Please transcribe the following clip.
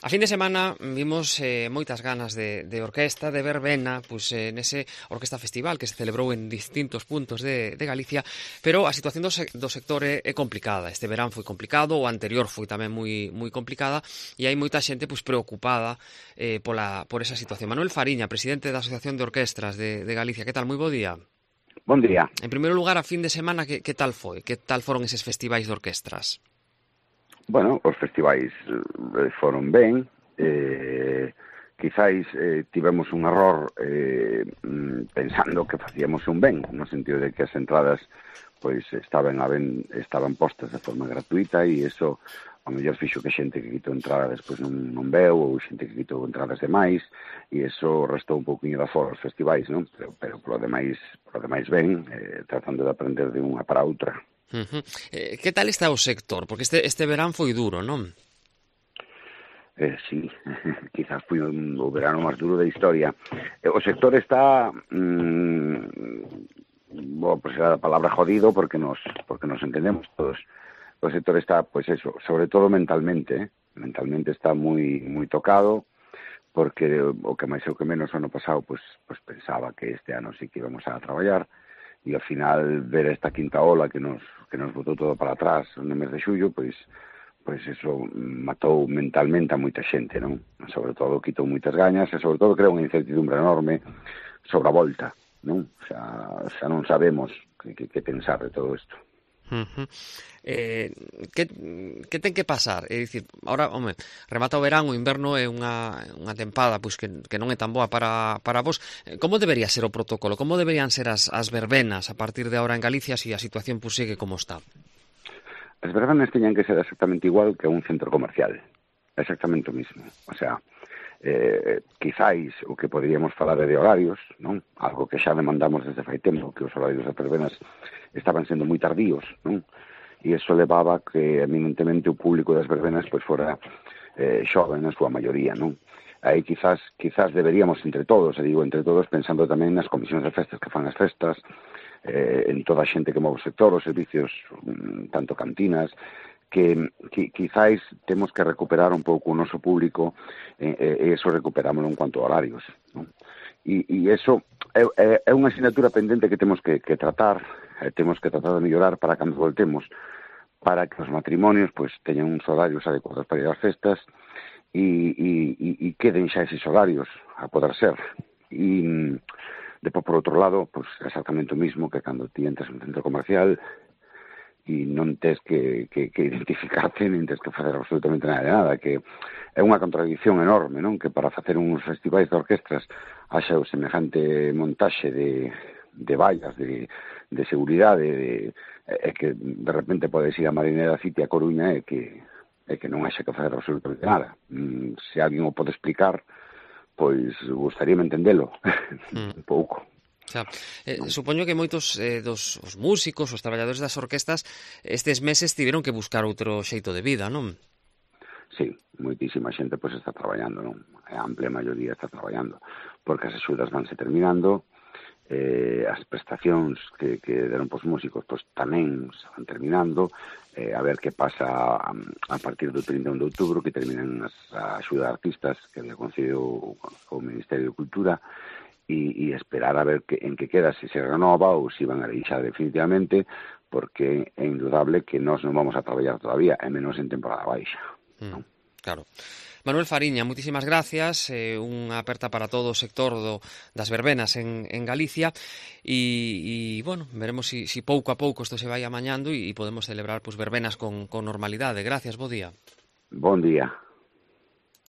A fin de semana vimos moitas ganas de orquesta, de verbena, nese orquesta festival que se celebrou en distintos puntos de Galicia, pero a situación do sector é complicada. Este verán foi complicado, o anterior foi tamén moi complicada, e hai moita xente preocupada por esa situación. Manuel Fariña, presidente da Asociación de Orquestras de Galicia, que tal? Moi bo día. Bon día. En primeiro lugar, a fin de semana, que tal foi? Que tal foron eses festivais de orquestras? Bueno, os festivais foron ben, quizáis tivemos un error pensando que facíamos un ben, no sentido de que as entradas pois estaban postas de forma gratuita, e iso ao mellor fixo que xente que quitou entrada despois non veu, ou xente que quitou entradas demais, e iso restou un pouquinho de aforo aos festivais, non? Pero polo demais ben, tratando de aprender de unha para outra. Que tal está o sector? Porque este verán foi duro, non? Sí, quizás foi o verano máis duro da historia. O sector está, pues era a palabra jodido, porque nos entendemos todos. O sector está, pues eso, sobre todo mentalmente, mentalmente está moi tocado, porque o que máis ou que menos o ano pasado, pues pensaba que este ano sí que íbamos a traballar, e ao final ver esta quinta ola que nos botou todo para atrás no mes de xullo, pois eso matou mentalmente a moita xente, non? Sobre todo quitou moitas gañas, e sobre todo creou unha incertidumbre enorme sobre a volta, non? Xa non sabemos que pensar de todo isto. Que ten que pasar? É dicir, ahora, remata o verán, o inverno é unha tempada que non é tan boa para vos. Como debería ser o protocolo? Como deberían ser as verbenas a partir de ahora en Galicia se a situación sigue como está? As verbenas teñan que ser exactamente igual que un centro comercial. Exactamente o mismo. O sea, quizáis o que poderíamos falar de horarios, non? Algo que xa demandamos desde fai tempo, que os horarios das verbenas estaban sendo moi tardíos, non? E iso levaba que eminentemente o público das verbenas pois fora xoven na súa maioría, non? Aí quizás deberíamos entre todos, pensando tamén nas comisións de festas que fan as festas, en toda a xente que move o sector, os servicios, tanto cantinas, que quizáis temos que recuperar un pouco o noso público, e eso recuperámoslo en cuanto a horarios, non? E eso é unha asignatura pendente que temos que tratar, temos que tratar de mellorar para cando voltemos, para que os matrimonios pois teñan uns horarios adecuados para ir ás festas e queden xa eses horarios a poder ser. E depois, por outro lado, pois exactamente o mismo que cando ti entras en un centro comercial e non tes que identificarte, nin tes que facer absolutamente nada, que é unha contradicción enorme, non? Que para facer uns festivais de orquestras haxa o semejante montaxe de vallas, de seguridade, e que de repente podes ir a Marinera City a Coruña e que non haxa que facer absolutamente nada. Se alguén o pode explicar, pois gustaríame entendelo un pouco. Supoño que moitos dos músicos, os traballadores das orquestas, estes meses tiveron que buscar outro xeito de vida, non? Sí, moitísima xente pois está traballando, non? A amplia maioría está traballando, porque as axudas vanse terminando, as prestacións que deron pos músicos pois tamén se van terminando, a ver que pasa a partir do 31 de outubro, que terminan a axuda a artistas que le concediu o Ministerio de Cultura, e esperar a ver en que queda, se renova ou se van a deixar definitivamente, porque é indudable que nós non vamos a traballar todavía, e menos en temporada baixa. Claro. Manuel Fariña, moitísimas gracias, unha aperta para todo o sector das verbenas en Galicia, e bueno, veremos si pouco a pouco isto se vai amañando e podemos celebrar verbenas con normalidade. Gracias, bo día. Bon día.